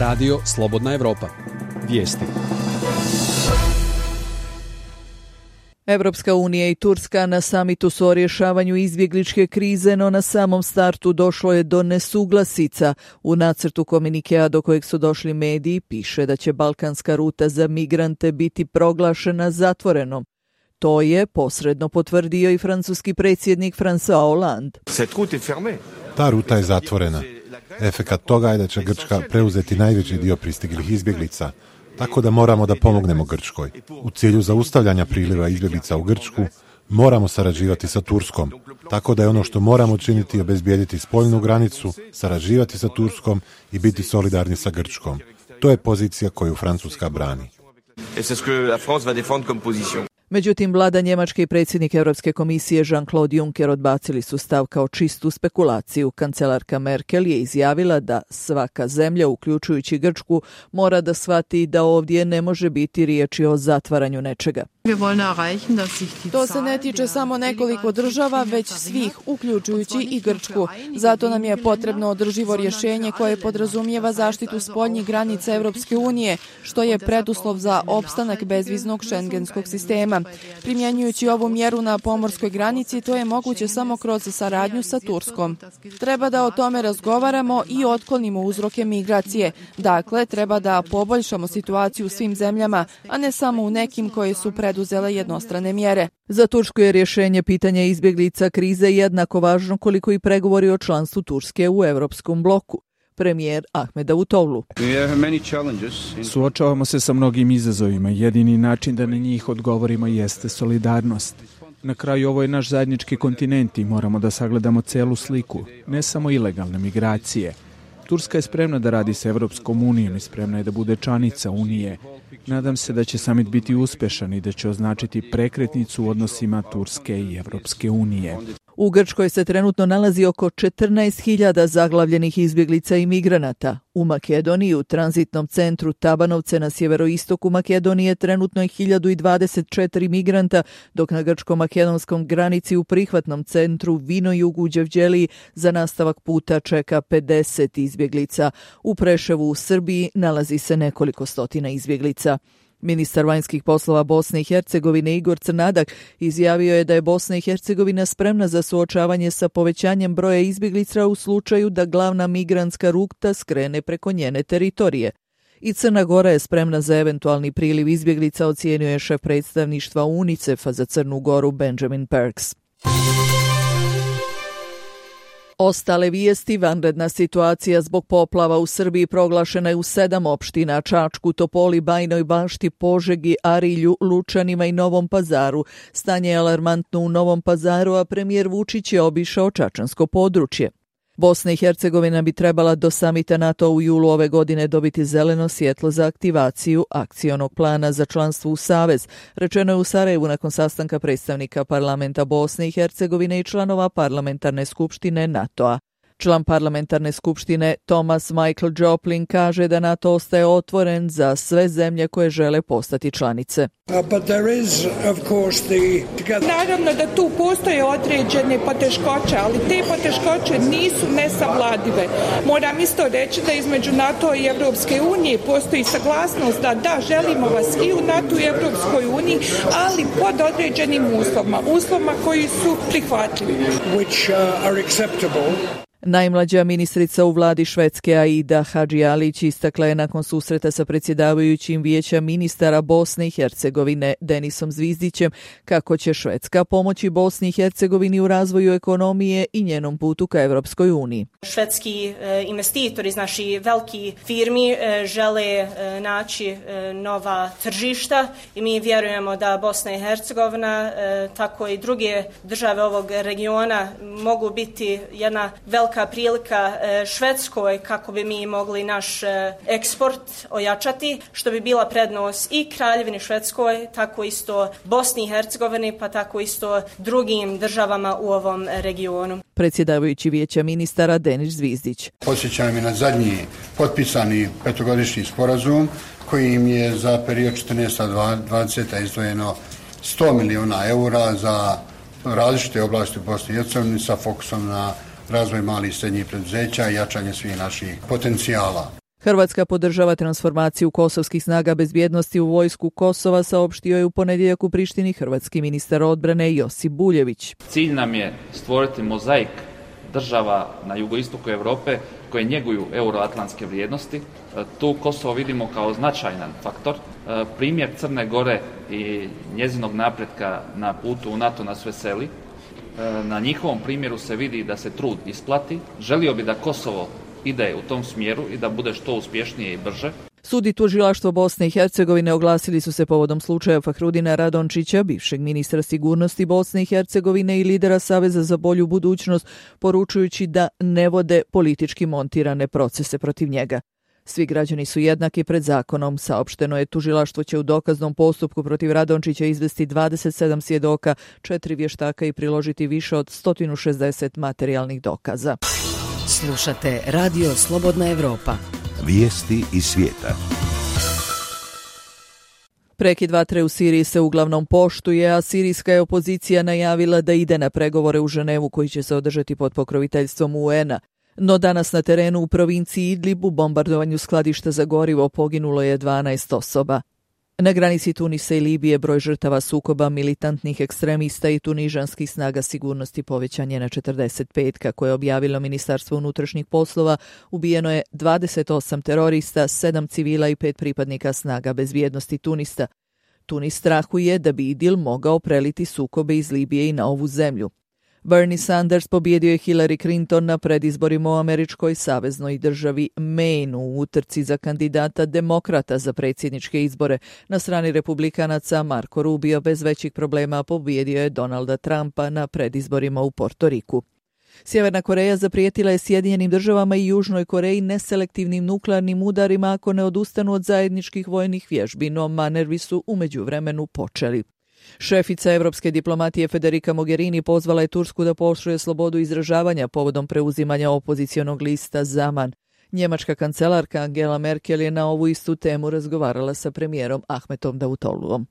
Radio Slobodna Evropa. Vijesti. Evropska unija i Turska na samitu su o rješavanju izbjegličke krize, no na samom startu došlo je do nesuglasica. U nacrtu komunikea do kojeg su došli mediji piše da će balkanska ruta za migrante biti proglašena zatvorenom. To je posredno potvrdio i francuski predsjednik François Hollande. Ta ruta je zatvorena. Efekat toga je da će Grčka preuzeti najveći dio pristiglih izbjeglica, tako da moramo da pomognemo Grčkoj. U cilju zaustavljanja priliva izbjeglica u Grčku moramo sarađivati sa Turskom, tako da je ono što moramo činiti obezbijediti spoljnu granicu, sarađivati sa Turskom i biti solidarni sa Grčkom. To je pozicija koju Francuska brani. Međutim, vlada Njemačke i predsjednik Europske komisije Jean-Claude Juncker odbacili su stav kao čistu spekulaciju. Kancelarka Merkel je izjavila da svaka zemlja, uključujući Grčku, mora da shvati da ovdje ne može biti riječi o zatvaranju nečega. To se ne tiče samo nekoliko država, već svih, uključujući i Grčku. Zato nam je potrebno održivo rješenje koje podrazumijeva zaštitu spoljnih granica Europske unije, što je preduslov za opstanak bezviznog šengenskog sistema. Primjenjujući ovu mjeru na pomorskoj granici, to je moguće samo kroz saradnju sa Turskom. Treba da o tome razgovaramo i otklonimo uzroke migracije. Dakle, treba da poboljšamo situaciju u svim zemljama, a ne samo u nekim koje su preduzele jednostrane mjere. Za Tursku je rješenje pitanja izbjeglica krize jednako važno koliko i pregovori o članstvu Turske u Europskom bloku. Premijer Ahmed Davutoglu. Suočavamo se sa mnogim izazovima. Jedini način da na njih odgovorimo jeste solidarnost. Na kraju ovo je naš zajednički kontinent i moramo da sagledamo celu sliku, ne samo ilegalne migracije. Turska je spremna da radi sa Evropskom unijom i spremna je da bude članica Unije. Nadam se da će samit biti uspješan i da će označiti prekretnicu u odnosima Turske i Evropske unije. U Grčkoj se trenutno nalazi oko 14.000 zaglavljenih izbjeglica i migranata. U Makedoniji, u tranzitnom centru Tabanovce na sjeveroistoku Makedonije, trenutno je 1024 migranta, dok na grčko-makedonskom granici u prihvatnom centru Vinojugu u Đevđeliji za nastavak puta čeka 50 izbjeglica. U Preševu u Srbiji nalazi se nekoliko stotina izbjeglica. Ministar vanjskih poslova Bosne i Hercegovine Igor Crnadak izjavio je da je Bosna i Hercegovina spremna za suočavanje sa povećanjem broja izbjeglica u slučaju da glavna migrantska ruta skrene preko njene teritorije. I Crna Gora je spremna za eventualni priliv izbjeglica, ocijenio je šef predstavništva UNICEF-a za Crnu Goru Benjamin Perks. Ostale vijesti: vanredna situacija zbog poplava u Srbiji proglašena je u 7 opština: Čačku, Topoli, Bajinoj Bašti, Požegi, Arilju, Lučanima i Novom Pazaru. Stanje je alarmantno u Novom Pazaru, a premijer Vučić je obišao čačansko područje. Bosna i Hercegovina bi trebala do samita NATO u julu ove godine dobiti zeleno svjetlo za aktivaciju akcionog plana za članstvo u Savez, rečeno je u Sarajevu nakon sastanka predstavnika parlamenta Bosne i Hercegovine i članova parlamentarne skupštine NATO-a. Član parlamentarne skupštine Thomas Michael Joplin kaže da NATO ostaje otvoren za sve zemlje koje žele postati članice. Naravno da tu postoje određene poteškoće, ali te poteškoće nisu nesavladive. Moram isto reći da između NATO i Evropske unije postoji saglasnost da želimo vas i u NATO i Evropskoj uniji, ali pod određenim uslovima koji su prihvatljivi. Najmlađa ministrica u vladi Švedske Aida Hadžialić istakla je nakon susreta sa predsjedavajućim vijeća ministara Bosne i Hercegovine Denisom Zvizdićem kako će Švedska pomoći Bosni i Hercegovini u razvoju ekonomije i njenom putu ka Evropskoj uniji. Švedski investitori iz naših velikih firmi žele naći nova tržišta i mi vjerujemo da Bosna i Hercegovina, tako i druge države ovog regiona mogu biti jedna velika prilika Švedskoj kako bi mi mogli naš eksport ojačati, što bi bila prednost i Kraljevini Švedskoj, tako isto Bosni i Hercegovini, pa tako isto drugim državama u ovom regionu. Predsjedavajući vijeća ministara Denis Zvizdić. Podsjećam je na zadnji potpisani petogodišnji sporazum kojim je za period 14-20 izdvojeno 100 miliona eura za različite oblasti u Bosni i Hercegovini sa fokusom na razvoj malih i srednjih preduzeća i jačanje svih naših potencijala. Hrvatska podržava transformaciju kosovskih snaga bezbjednosti u vojsku Kosova, saopštio je u ponedjeljak u Prištini hrvatski ministar odbrane Josip Buljević. Cilj nam je stvoriti mozaik država na jugoistoku Europe koje njeguju euroatlantske vrijednosti. Tu Kosovo vidimo kao značajan faktor. Primjer Crne Gore i njezinog napretka na putu u NATO nas veseli. Na njihovom primjeru se vidi da se trud isplati. Želio bi da Kosovo ide u tom smjeru i da bude što uspješnije i brže. Sud i tužilaštvo Bosne i Hercegovine oglasili su se povodom slučaja Fahrudina Radončića, bivšeg ministra sigurnosti Bosne i Hercegovine i lidera Saveza za bolju budućnost, poručujući da ne vode politički montirane procese protiv njega. Svi građani su jednaki pred zakonom, saopšteno je. Tužilaštvo će u dokaznom postupku protiv Radončića izvesti 27 svjedoka, 4 vještaka i priložiti više od 160 materijalnih dokaza. Slušate Radio Slobodna Evropa. Vijesti iz svijeta. Prekid vatre u Siriji se uglavnom poštuje, a sirijska je opozicija najavila da ide na pregovore u Ženevu koji će se održati pod pokroviteljstvom UN-a. No danas na terenu u provinciji Idlib u bombardovanju skladišta za gorivo poginulo je 12 osoba. Na granici Tunisa i Libije broj žrtava sukoba militantnih ekstremista i tunižanskih snaga sigurnosti povećan je na 45, kako je objavilo Ministarstvo unutrašnjih poslova. Ubijeno je 28 terorista, 7 civila i 5 pripadnika snaga bezbjednosti Tunisa. Tunis strahuje da bi IDIL mogao preliti sukobe iz Libije i na ovu zemlju. Bernie Sanders pobjedio je Hillary Clinton na predizborima u američkoj saveznoj državi Maine u utrci za kandidata demokrata za predsjedničke izbore. Na strani republikanaca Marco Rubio bez većih problema pobjedio je Donalda Trumpa na predizborima u Portoriku. Sjeverna Koreja zaprijetila je Sjedinjenim državama i Južnoj Koreji neselektivnim nuklearnim udarima ako ne odustanu od zajedničkih vojnih vježbi, no manevi su u međuvremenu počeli. Šefica evropske diplomatije Federica Mogherini pozvala je Tursku da pooštruje slobodu izražavanja povodom preuzimanja opozicionog lista Zaman. Njemačka kancelarka Angela Merkel je na ovu istu temu razgovarala sa premijerom Ahmetom Davutogluom.